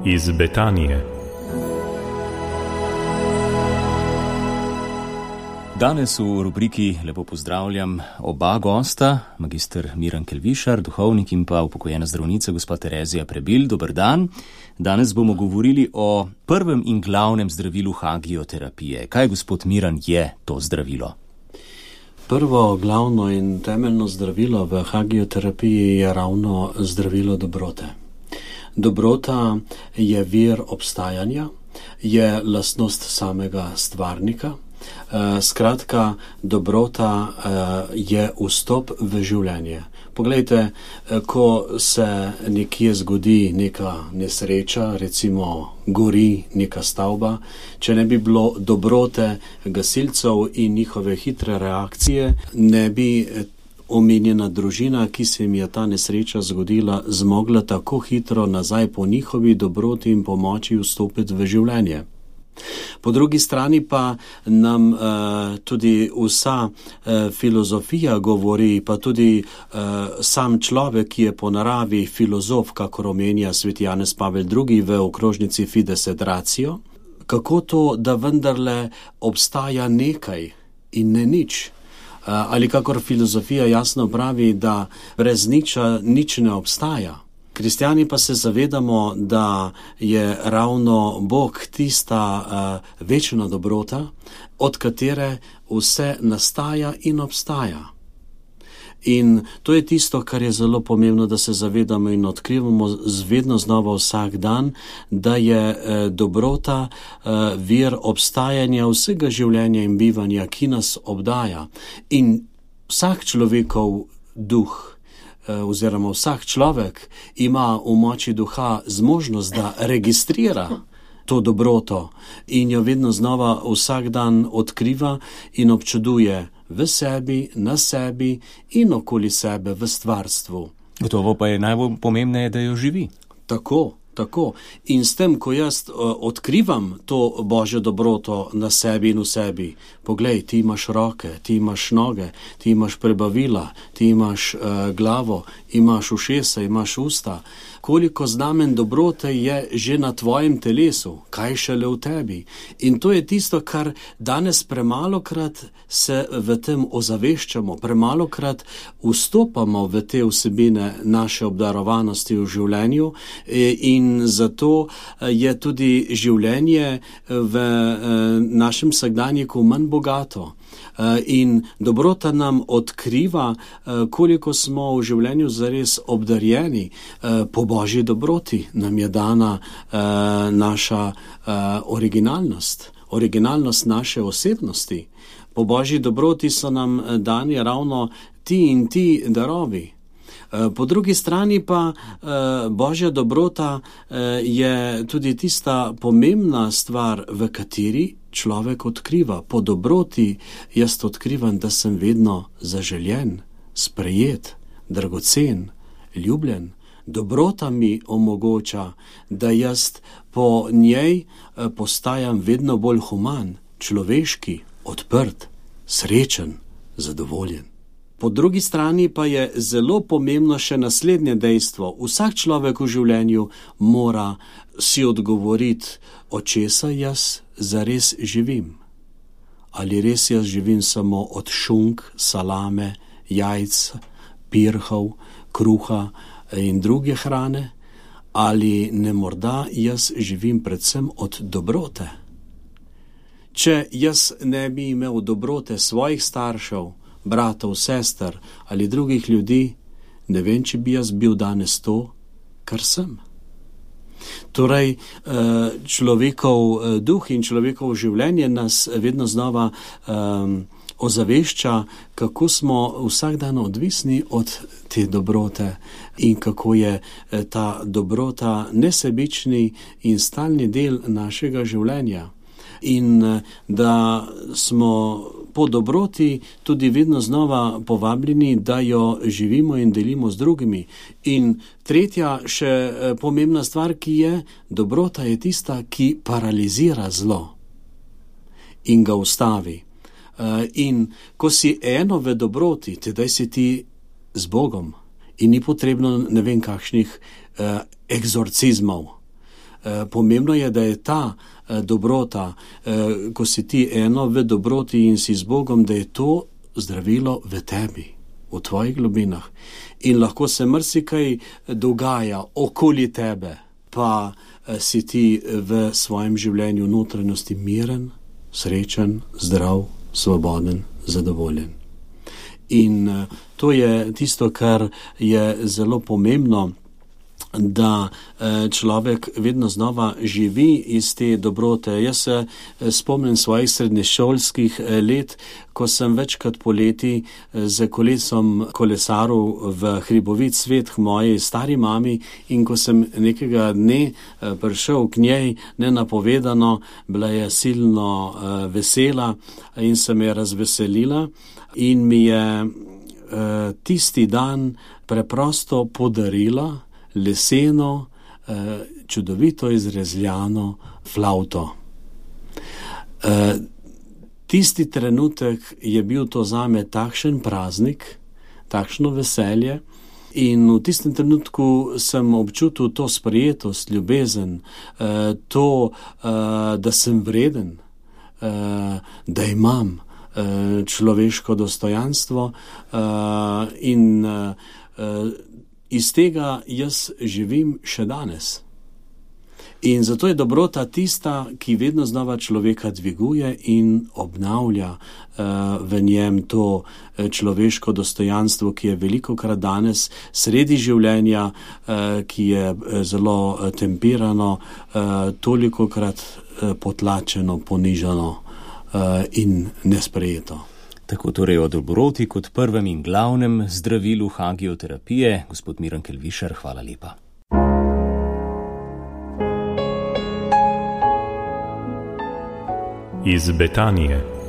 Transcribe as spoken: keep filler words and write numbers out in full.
iz Betanije. Danes v rubriki lepo pozdravljam oba gosta, magister Miran Kelvišar, duhovnik, in pa upokojena zdravnica gospa Terezija Prebil. Dober dan. Danes bomo govorili o prvem in glavnem zdravilu hagioterapije. Kaj, gospod Miran, je to zdravilo? Prvo, glavno in temeljno zdravilo v hagioterapiji je ravno zdravilo dobrote. Dobrota je vir obstajanja, je lastnost samega stvarnika. Skratka, dobrota je vstop v življenje. Poglejte, ko se nekje zgodi neka nesreča, recimo gori neka stavba, če ne bi bilo dobrote gasilcev in njihove hitre reakcije, ne bi omenjena družina, ki se jim je ta nesreča zgodila, zmogla tako hitro nazaj po njihovi dobroti in pomoči vstopiti v življenje. Po drugi strani pa nam uh, tudi vsa uh, filozofija govori, pa tudi uh, sam človek, ki je po naravi filozof, kakor omenja sveti Janez Pavel drugi v okrožnici Fides et Ratio, kako to, da vendarle obstaja nekaj in ne nič. Uh, ali kakor filozofija jasno pravi, da brez niča nič ne obstaja. Kristjani pa se zavedamo, da je ravno Bog tista uh, večna dobrota, od katere vse nastaja in obstaja. In to je tisto, kar je zelo pomembno, da se zavedamo in odkrivamo vedno znova vsak dan, da je eh, dobrota eh, vir obstajanja vsega življenja in bivanja, ki nas obdaja. In vsak človekov duh, oziroma vsak človek ima v moči duha zmožnost, da registrira to dobroto in jo vedno znova vsak dan odkriva in občuduje v sebi, na sebi in okoli sebe v stvarstvu. Gotovo pa je najbolj pomembneje, da jo živi. Tako. Tako. In s tem, ko jaz uh, odkrivam to Božjo dobroto na sebi in v sebi, poglej, ti imaš roke, ti imaš noge, ti imaš prebavila, ti imaš uh, glavo, imaš ušesa, imaš usta, koliko znamen dobrote je že na tvojem telesu, kaj šele v tebi. In to je tisto, kar danes premalokrat se v tem ozaveščamo, premalokrat vstopamo v te vsebine naše obdarovanosti v življenju in In zato je tudi življenje v našem vsakdanjiku manj bogato. In dobrota nam odkriva, koliko smo v življenju zares obdarjeni. Po Božji dobroti nam je dana naša originalnost, originalnost naše osebnosti. Po Božji dobroti so nam dani ravno ti in ti darovi. Po drugi strani pa Božja dobrota je tudi tista pomembna stvar, v kateri človek odkriva. Po dobroti jaz odkrivam, da sem vedno zaželjen, sprejet, dragocen, ljubljen. Dobrota mi omogoča, da jaz po njej postajam vedno bolj human, človeški, odprt, srečen, zadovoljen. Po drugi strani pa je zelo pomembno še naslednje dejstvo. Vsak človek v življenju mora si odgovoriti, od česa jaz zares živim. Ali res jaz živim samo od šunk, salame, jajc, pirhov, kruha in druge hrane, ali ne morda jaz živim predvsem od dobrote. Če jaz ne bi imel dobrote svojih staršev, bratov, sester ali drugih ljudi, ne vem, če bi jaz bil danes to, kar sem. Torej, človekov duh in človekov življenje nas vedno znova um, ozavešča, kako smo vsak dan odvisni od te dobrote in kako je ta dobrota nesebični in stalni del našega življenja. In da smo po dobroti tudi vedno znova povabljeni, da jo živimo in delimo z drugimi. In tretja še pomembna stvar, ki je, dobrota je tista, ki paralizira zlo in ga ustavi. In ko si eno v dobroti, tedaj si ti z Bogom in ni potrebno ne vem kakšnih eh, egzorcizmov. Pomembno je, da je ta dobrota, ko si ti eno v dobroti in si z Bogom, da je to zdravilo v tebi, v tvojih globinah. In lahko se marsikaj dogaja okoli tebe, pa si ti v svojem življenju notranjosti miren, srečen, zdrav, svoboden, zadovoljen. In to je tisto, kar je zelo pomembno, da človek vedno znova živi iz te dobrote. Jaz se spomnim svojih srednješolskih let, ko sem večkrat poleti z kolesom kolesaril v hribovit svet k moji stari mami, in ko sem nekega dne prišel k njej nenapovedano, bila je silno vesela in se me je razveselila in mi je tisti dan preprosto podarila leseno, čudovito izrezljano flavto. Tisti trenutek je bil to zame takšen praznik, takšno veselje, in v tistem trenutku sem občutil to sprejetost, ljubezen, to, da sem vreden, da imam človeško dostojanstvo, in iz tega jaz živim še danes. In zato je dobrota tista, ki vedno znova človeka dviguje in obnavlja uh, v njem to človeško dostojanstvo, ki je velikokrat danes sredi življenja, uh, ki je zelo tempirano, uh, tolikokrat uh, potlačeno, ponižano uh, in nesprejeto. Tako torej o dobroti kot prvem in glavnem zdravilu hagioterapije. Gospod Miran Kelvišar, hvala lepa. Iz Betanije.